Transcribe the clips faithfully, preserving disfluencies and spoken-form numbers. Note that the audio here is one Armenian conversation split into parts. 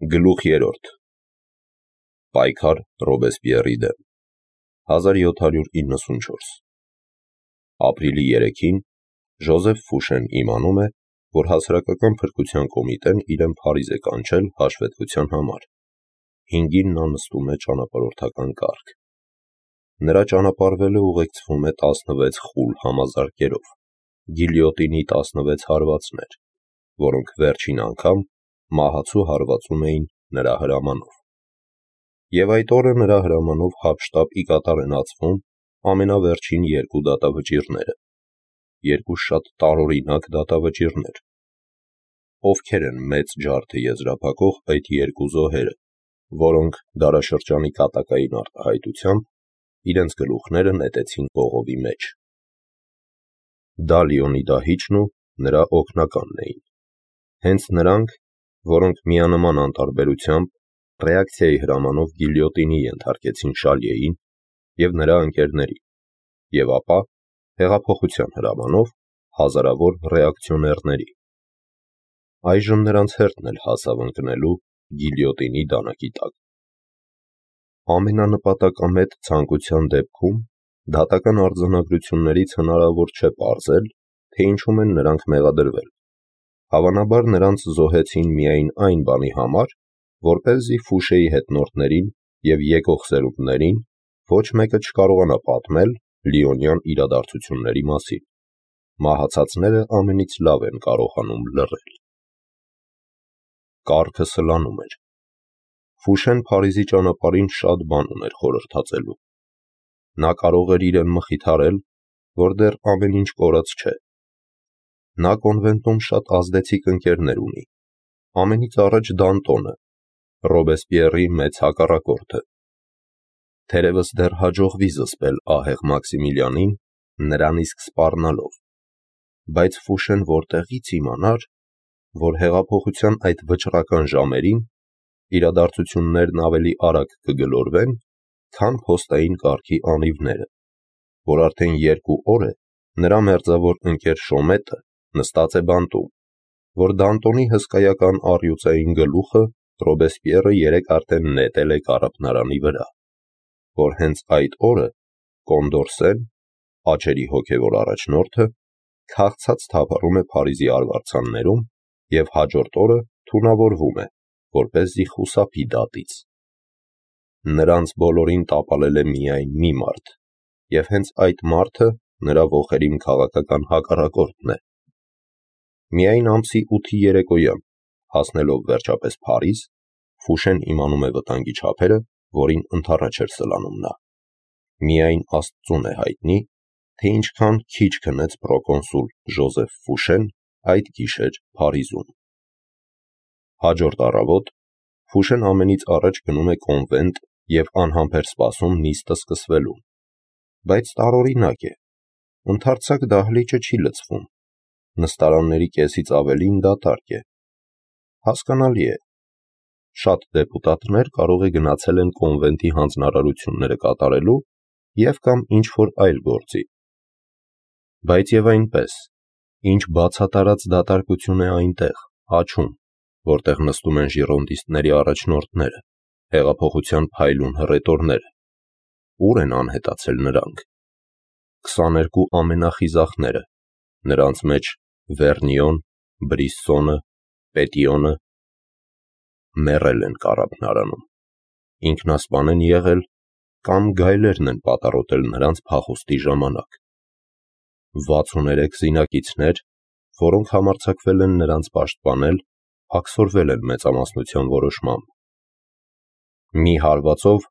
Գլուխ երրորդ Պայքար Ռոբեսպիերի դեմ հազար յոթ հարյուր իննսունչորս Ապրիլի երեքին Ժոզեֆ Ֆուշեն իմանում է, որ հասարակական փրկության կոմիտեն իրեն Փարիզ է կանչել հաշվետվության համար։ Հինգին նա նստում է ճանապարհորդական կարգ։ Նրա ճանապարհվելը ուղեկցվում է տասնվեց խուլ համազարկերով, գիլյոտինի տասնվեց հարվածներ, որոնք վերջին անգամ մահացու հարվածում էին նրա հրամանով։ Եվ այդ օրը նրա հրամանով հափշտապի կատար են ածվում ամենավերջին երկու դատավճիռները, երկու շատ տարօրինակ դատավճիռներ։ Ովքեր են մեծ ջարդը եզրափակող այդ երկու զոհերը, որոնք դարաշրջանի կատակային արտահայտությամբ իրենց գլուխները նետեցին կողովի մեջ։ Դա Լեոնիդ ու նրա օգնականն էին։ Հենց նրանք, որոնք միանման անտարբերությամբ ռեակցիայի հրամանով գիլյոտինի ենթարկեցին Շալիեին և նրա ընկերներին, և ապա հեղափոխության հրամանով հազարավոր ռեակցիոներների։ Այժմ նրանց հերթն էլ հասավ ընկնելու գիլյոտինի դանակի տակ։ Ամենանպատակամետ ցանկության դեպքում դատական արձանագրություններից հնարավոր չէ պարզել, թե ինչում են նրանք մեղադրվել։ Հավանաբար նրանց զոհեցին միայն այն բանի համար, որպեսզի Ֆուշեի հետնորդներին և եկող սերունդներին ոչ մեկը չկարողանա պատմել լիոնյան իրադարձությունների մասին։ Մահացածները ամենից լավ են կարողանում լռել։ Կառքը սլանում էր։ Ֆուշեն Փարիզի ճանապարհին շատ բան ուներ խորհրդածելու։ Նա կարող էր իրեն մխիթարել, որ դեռ ամեն ինչ կորած չէ։ Նա կոնվենտում շատ ազդեցիկ ընկերներ ունի։ Ամենից առաջ Դանտոնը, Ռոբեսպիերի մեծ հակառակորդը։ Թերևս դեռ հաջողվի զսպել ահեղ Մաքսիմիլիանին, նրան իսկ սպառնալով։ Բայց Ֆուշեն որտեղի՞ց իմանար, որ հեղափոխության այդ վճռական ժամերին իրադարձություններն ավելի արագ կգլորվեն, քան փոստային կարգի անիվները, որ արդեն երկու օր է նրա մերձավոր ընկեր Շոմետը նստած է բանտում, որ Դանտոնի հսկայական առյուծային գլուխը Ռոբեսպիերը երեկ արդեն նետել է կառափնարանի վրա, որ հենց այդ օրը Կոնդորսեն, աչերի հոգևոր առաջնորդը, քաղցած թափառում է Փարիզի արվարձաններում և հաջորդ օրը թունավորվում է, որպեսզի խուսափի դատից։ Նրանց բոլորին տապալել է միայն մի մարդ, և հենց այդ մարդը նրա ոխերիմ քաղաքական հակառակորդն է։ Միայն ամսի ութի երեկոյան, հասնելով վերջապես Փարիզ, Ֆուշեն իմանում է վտանգի չափերը, որին ընդառաջ էր սլանում նա։ Միայն Աստծուն է հայտնի, թե ինչքան քիչ քնեց պրոկոնսուլ Ժոզեֆ Ֆուշեն այդ գիշեր Փարիզում։ Հաջորդ առավոտ Ֆուշեն ամենից առաջ գնում է կոնվենտ և անհամբեր սպասում նիստը սկսվելուն։ Բայց տարօրինակ է, ընդարձակ դահլիճը չի լցվում, նստարանների կեսից ավելին դատարկ է։ Հասկանալի է, շատ դեպուտատներ կարող է գնացել են կոնվենտի հանձնարարությունները կատարելու և կամ ինչ-որ այլ գործի։ Բայց և այնպես, ինչ բացատարած դատարկություն է այնտեղ, աջում, որտեղ նստում են ժիրոնդիստների առաջնորդները, հեղափոխության փայլուն հռետորները։ Ուր են անհետացել նրանք։ Քսաներկու ամենախիզախները, նրանց մեջ Վերնիոն, Բրիսսոնը, Պետիոնը մեռել են կառափնարանում, ինքնասպան են եղել կամ գայլերն են պատառոտել նրանց փախուստի ժամանակ։ վաթսուներեք զինակիցներ, որոնք համարձակվել են նրանց պաշտպանել, աքսորվել են մեծամասնության որոշմամբ։ Մի հարվածով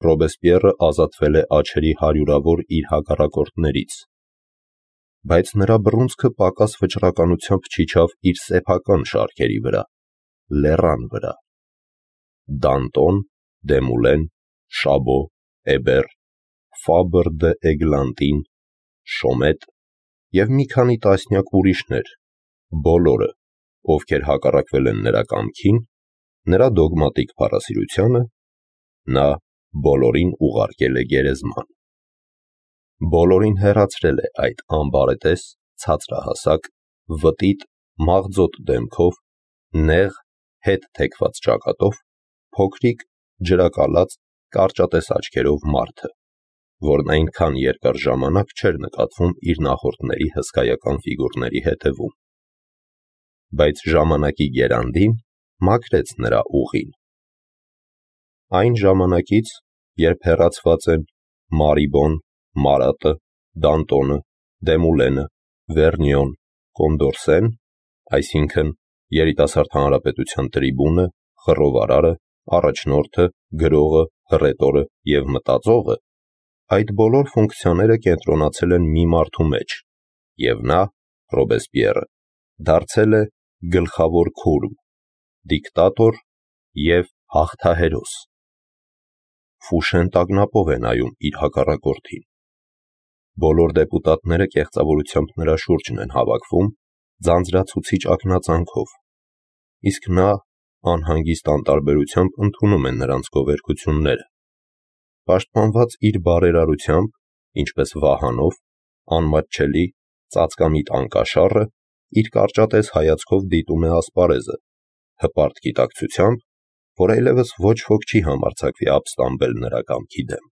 Ռոբեսպիերը ազատվել է աջերի հարյուրավոր իր հակառակորդներից, բայց նրա բռունցքը պակաս վճռականությամբ չիջավ իր սեփական շարքերի վրա, լեռան վրա։ Դանտոն, Դեմուլեն, Շաբո, Էբեր, Ֆաբր դ'Էգլանտին, Շոմետ և մի քանի տասնյակ ուրիշներ, բոլորը, ովքեր հակառակվել են նրա կամքին, նրա դոգմատիկ փառասիրությանը, նա բոլորին ուղարկել է գերեզման։ Բոլորին հեռացրել է այդ անբարետես, ցածրահասակ, վտիտ, մաղձոտ դեմքով, նեղ, հետ թեքված ճակատով, փոքրիկ, ջրակալած, կարճատես աչքերով մարդը, որն այնքան երկար ժամանակ չէր նկատվում իր նախորդների հսկայական ֆիգուրների հետևում, բայց ժամանակի գերանդին մաքրեց նրա ուղին։ Այն ժամանակից, երբ հեռացված են Մարիբոն, Մարատը, Դանտոնը, Դեմուլենը, Վերնիոն, Կոնդորսեն, այսինքն երիտասարդ հանրապետության տրիբունը, խռովարարը, առաջնորդը, գրողը, հռետորը և մտածողը, այդ բոլոր ֆունկցիաները կենտրոնացել են մի մարդու մեջ, և նա, Ռոբեսպիերը, դարձել է գլխավոր քուրմ, դիկտատոր և հաղթահերոս։ Ֆուշեն տագնապով է նայում իր հակառակորդին։ Բոլոր դեպուտատները կեղծավորությամբ նրա շուրջն են հավաքվում, ձանձրացուցիչ ակնածանքով, իսկ նա անհանգիստ անտարբերությամբ ընդունում է նրանց գովերգությունները։ Պաշտպանված իր բարերարությամբ, ինչպես Վահանով, անմատչելի, ծածկամիտ անկաշառը իր կարճատես հայացքով դիտում է ասպարեզը, հպարտ գիտակցությամբ, որ այլևս ոչ ոք չի համարձակվի ապստամբել նրա կամքի դեմ։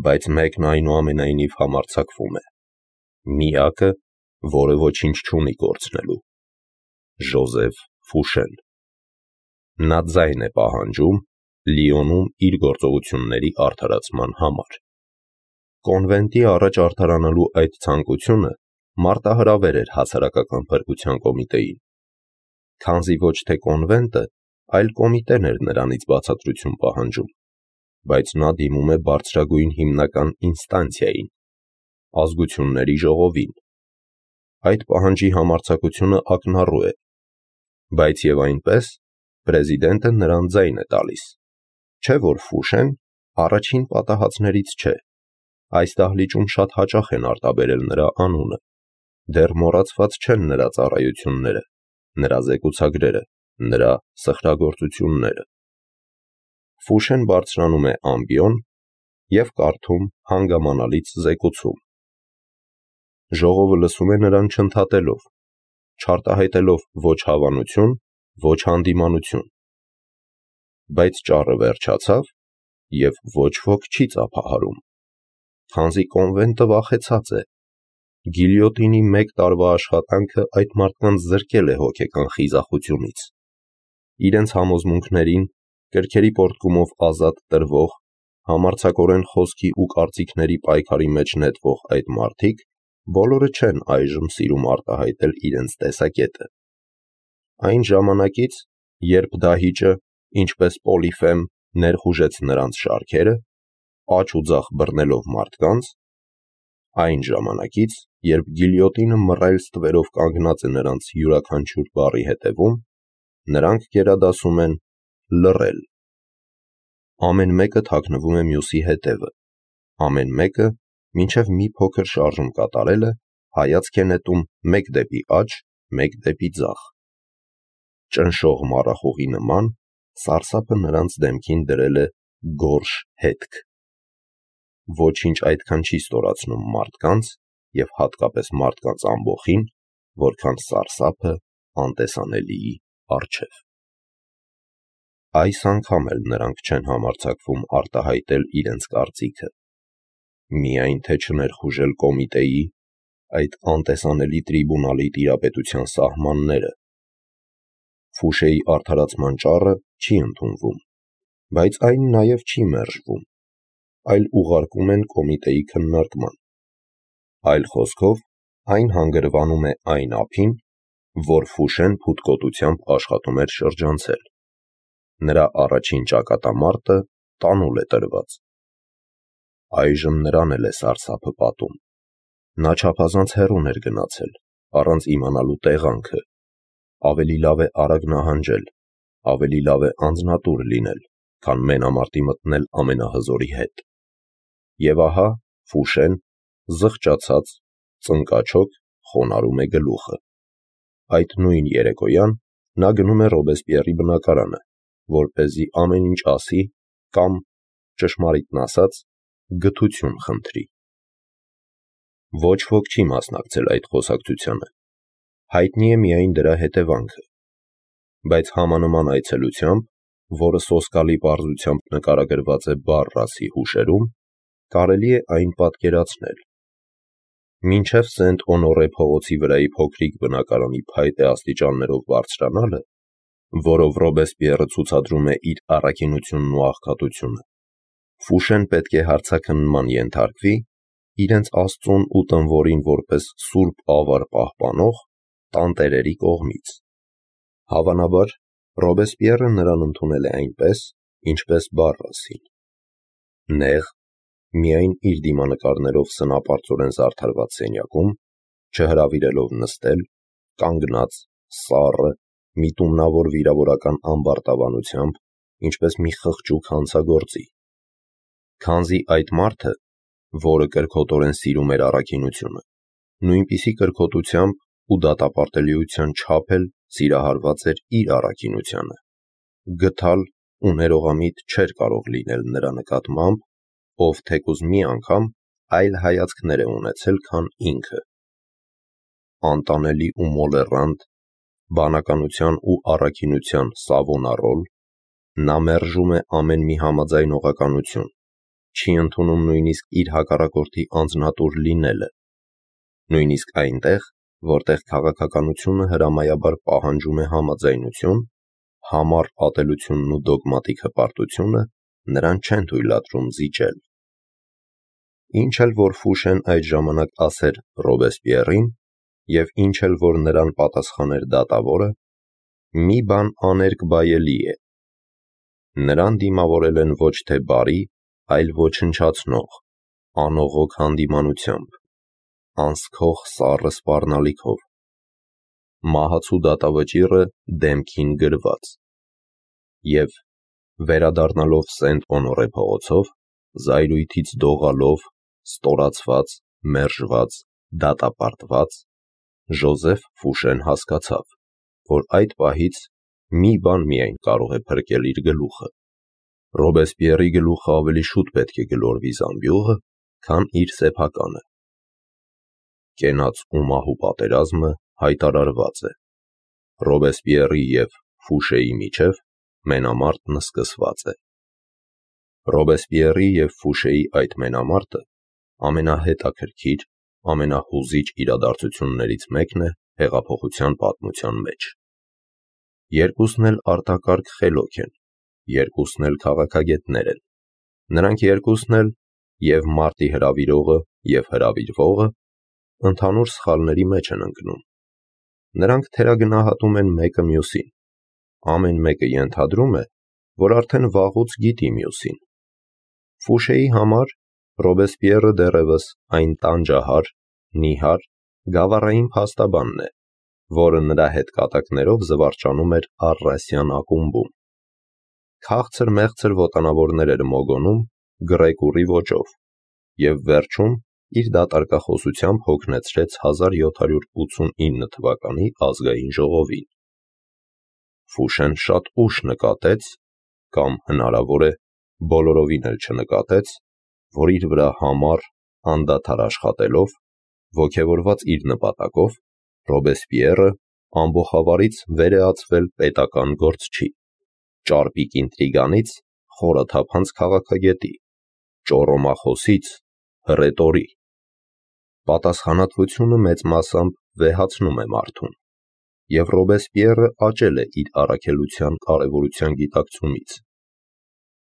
Բայց մեկն այնուամենայնիվ համարձակվում է, միակը, որը ոչինչ չունի կորցնելու՝ Ժոզեֆ Ֆուշեն։ Նա ձայն է պահանջում Լիոնում իր գործողությունների արդարացման համար։ Կոնվենտի առաջ արդարանալու այդ ցանկությունը մարտահրավեր էր հասարակական փրկության կոմիտեին, քանզի ոչ թե կոնվենտը, այլ կոմիտեն էր նրանից բացատրություն պահանջում, բայց նա դիմում է բարձրագույն հիմնական ինստանցիային՝ ազգությունների ժողովին։ Այդ պահանջի համարձակությունը ակնառու է, բայց և այնպես պրեզիդենտը նրան ձայն է տալիս, չէ՞ որ Ֆուշեն առաջին պատահածներից չէ, այս դահլիճում շատ հաճախ են արտաբերել նրա անունը, դեռ մոռացված չեն նրա ծառայությունները, նրա զեկուցագրերը, նրա սխրագործությունները։ Ֆուշեն բարձրանում է ամբիոն և կարդում հանգամանալից զեկուցում։ Ժողովը լսում է նրան չընդհատելով, չարտահայտելով ոչ հավանություն, ոչ հանդիմանություն։ Բայց ճառը վերջացավ, և ոչ ոք չի ծափահարում, քանզի կոնվենտը վախեցած է։ Գիլյոտինի մեկ տարվա աշխատանքը այդ մարդկանց զրկել է հոգեկան խիզախությունից։ Իրենց համոզմունքներին, կրքերի պոռթկումով ազատ տրվող, համարձակորեն խոսքի ու կարծիքների պայքարի մեջ նետվող այդ մարդիկ բոլորը չեն այժմ սիրում արտահայտել իրենց տեսակետը։ Այն ժամանակից, երբ դահիճը, ինչպես Պոլիֆեմ, ներխուժեց նրանց շարքերը, աջ ու ձախ բռնելով մարդկանց, այն ժամանակից, երբ գիլյոտինը մռայլ ստվերով կանգնած է նրանց յուրաքանչյուր բառի հետևում, նրանք գերադասում են լռել։ Ամեն մեկը թաքնվում է մյուսի հետևը, ամեն մեկը, մինչև մի փոքր շարժում կատարելը, հայացք է նետում մեկ դեպի աջ, մեկ դեպի ձախ։ Ճնշող մառախուղի նման սարսափը նրանց դեմքին դրել է գորշ հետք։ Ոչինչ այդքան չի ստորացնում մարդկանց և հատկապես մարդկանց ամբոխին, որքան սարսափը անտեսանելիի առջև։ Այս անգամ էլ նրանք չեն համարձակվում արտահայտել իրենց կարծիքը, միայն թե չներխուժել կոմիտեի, այդ անտեսանելի տրիբունալի տիրապետության սահմանները։ Ֆուշեի արդարացման ճառը չի ընդունվում, բայց այն նաև չի մերժվում, այլ ուղարկում են կոմիտեի քննարկման։ Այլ խոսքով, այն հանգրվանում է այն ափին, որ Ֆուշեն փութկոտությամբ աշխատում էր շրջանցել։ Նրա առաջին ճակատամարտը տանուլ է տրված։ Այժմ նրան էլ է սարսափը պատում։ Նա չափազանց հեռուն էր գնացել, առանց իմանալու տեղանքը։ Ավելի լավ է արագ նահանջել, ավելի լավ է անձնատուր լինել, քան մենամարտի մտնել ամենահզորի հետ։ Եվ ահա Ֆուշեն, զղջացած, ծնկաչոք, խոնարհում է գլուխը։ Այդ նույն երեկոյան նա գնում է Ռոբեսպիերի բնակարանը, որպեսզի ամեն ինչ ասի կամ, ճշմարիտն ասած, գթություն խնդրի։ Ոչ ոք չի մասնակցել այդ խոսակցությանը։ Հայտնի է միայն դրա հետևանքը։ բայց համանման այցելությամբ, որը սոսկալի պարզությամբ նկարագրված է Բարրասի հուշերում, կարելի է այն պատկերացնել։ Մինչև Սենտ Օնորե փողոցի վրայի փոքրիկ բնակարանի փայտե աստիճաններով բարձրանալը, որով Ռոբեսպիերը ցուցադրում է իր առաքինությունն ու աղքատությունը, Ֆուշեն պետք է հարցաքննման ենթարկվի իրենց Աստծուն ու տնօրին որպես սուրբ ավար պահպանող տանտերերի կողմից։ Հավանաբար, Ռոբեսպիերը նրան ընդունել է այնպես, ինչպես Բարրասին։ Նեղ, միայն իր դիմանկարներով սնապարծորեն զարդարված սենյակում, չհրավիրելով նստել, կանգնած, սառը, միտումնավոր վիրավորական ամբարտավանությամբ, ինչպես մի խղճուկ հանցագործի։ Քանզի այդ մարդը, որը կրքոտորեն սիրում էր առաքինությունը, նույնպիսի կրքոտությամբ ու դատապարտելիության չափ էլ սիրահարված էր իր առաքինությանը, գթալ ու ներողամիտ չէր կարող լինել նրա նկատմամբ, ով թեկուզ մի անգամ այլ հայացքներ է ունեցել, քան ինքը։ Անտանելի ու մոլեռանդ, բանականության ու առաքինության Սավոնարոլ, նա մերժում է ամեն մի համաձայնողականություն, չի ընդունում նույնիսկ իր հակառակորդի անձնատուր լինելը, նույնիսկ այնտեղ, որտեղ քաղաքականությունը հրամայաբար պահանջում է համաձայնություն, համառ ատելությունն ու դոգմատիկ հպարտությունը նրան չեն թույլատրում զիջել։ Ինչ էլ որ Ֆուշեն այդ ժամանակ ասեր Ռոբեսպիերին, և ինչ էլ որ նրան պատասխաներ դատավորը, մի բան աներկբայելի է. նրան դիմավորել են ոչ թե բարի, այլ ոչնչացնող, անողոք հանդիմանությամբ, անսքող սառը սպառնալիքով, մահացու դատավճիռը դեմքին գրված։ Եվ, վերադառնալով Սենտ Օնորե փողոցով, զայրույթից դողալով, ստորացված, մերժված, դատապարտված, Ժոզեֆ Ֆուշեն հասկացավ, որ այդ պահից մի բան միայն կարող է փրկել իր գլուխը։ Ռոբեսպիերի գլուխը ավելի շուտ պետք է գլորվի զամբյուղը, քան իր սեփականը։ Կենաց ու մահու պատերազմը հայտարարված է։ Ռոբեսպիերի և Ֆուշեի միջև մենամարտն սկսված է։ Ռոբեսպիերի և Ֆուշեի այդ մենամարտը ամենահետաքրքիր, ամենահուզիչ իրադարձություններից մեկն է հեղափոխության պատմության մեջ։ Երկուսն էլ արտակարգ խելոք են, երկուսն էլ քաղաքագետներ են։ Նրանք երկուսն էլ, և մարտի հրավիրողը, և հրավիրվողը, ընդհանուր սխալների մեջ են ընկնում։ Նրանք թերագնահատում են մեկը մյուսին։ Ամեն մեկը ենթադրում է, որ արդեն վաղուց գիտի մյուսին։ Ֆուշեի համար Ռոբեսպիերը դեռևս այն տանջահար, նիհար, գավառային փաստաբանն է, որը նրա հետ կատակներով զվարճանում էր Առասյան ակումբում։ Քաղցր-մեղցր ոտանավորներ էր մոգոնում գրեկուռի ոճով և վերջում իր դատարկախոսությամբ հոգնեցրեց հազար յոթ հարյուր ութսունինը թվականի ազգային ժողովին։ Ֆուշեն շատ ուշ նկատեց, կամ հնարավոր է բոլորովին էլ չնկատեց, որ իր վրա համառ, անդադար աշխատելով, ոգևորված իր նպատակով, Ռոբեսպիերը ամբոխավարից վեր է ածվել պետական գործչի, ճարպիկ ինտրիգանից խորաթափանց քաղաքագետի, ճոռոմախոսից հռետորի։ Պատասխանատվությունը մեծ մասամբ վեհացնում է մարդուն, և Ռոբեսպիերը աճել է իր առաքելության կարևորության գիտակցումից։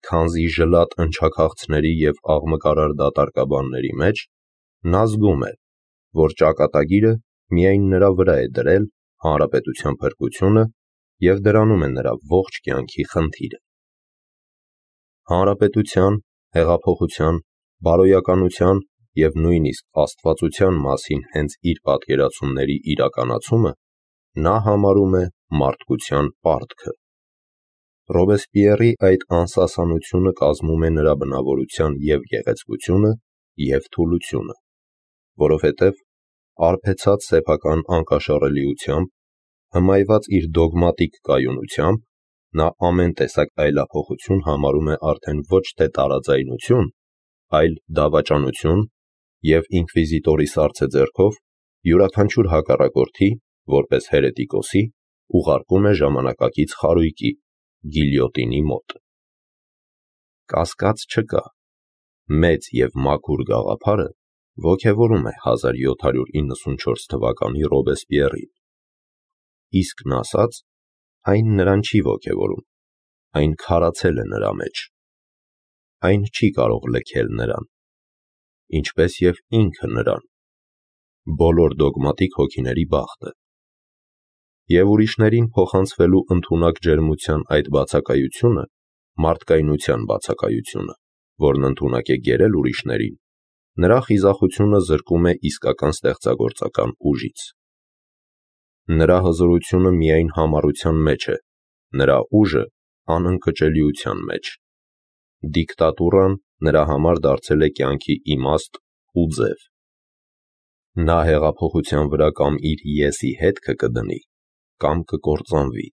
Քանզի ժլատ ընչաքաղցների և աղմկարար դատարկաբանների մեջ նա զգում է, որ ճակատագիրը միայն նրա վրա է դրել հանրապետության փրկությունը և դրանում է նրա ողջ կյանքի խնդիրը։ Հանրապետության, հեղափոխության, բարոյականության և նույնիսկ աստվածության մասին հենց իր պատկերացումների իրականացումը նա համարում է մարդկության պարտքը։ Ռոբեսպիերի այդ անսասանությունը կազմում է նրա բնավորության և գեղեցկությունը, և թուլությունը, որովհետև արբեցած սեփական անկաշառելիությամբ, հմայված իր դոգմատիկ կայունությամբ, նա ամեն տեսակ այլափոխություն համարում է արդեն ոչ թե տարաձայնություն, այլ դավաճանություն և ինկվիզիտորի սառցե ձեռքով յուրաքանչյուր հակառակորդի, որպես հերետիկոսի, ուղարկում է ժամանակակից խարույկի, գիլյոտինի մոտ։ Կասկած չկա, մեծ և մաքուր գաղափարը ոգևորում է հազար յոթ հարյուր իննսունչորս թվականի Ռոբեսպիեռին, իսկն ասած, այն նրան չի ոգևորում, այն քարացել է նրա մեջ, այն չի կարող լքել նրան, ինչպես և ինքը նրան, բոլոր դոգմատիկ հոգիների բախտը, և ուրիշներին փոխանցվելու ընդունակ ջերմության այդ բացակայությունը, մարդկայնության բացակայությունը, որն ընդունակ է գերել ուրիշներին, նրա խիզախությունը զրկում է իսկական ստեղծագործական ուժից։ Նրա հզորությունը միայն համառության մեջ է, նրա ուժը անընկճելիության մեջ։ Դիկտատուրան նրա համար դարձել է կյանքի իմաստ ու ձև։ Նա հեղափոխության վրա կամ իր «ես»-ի հետքը կդնի, կամ կկործանվի։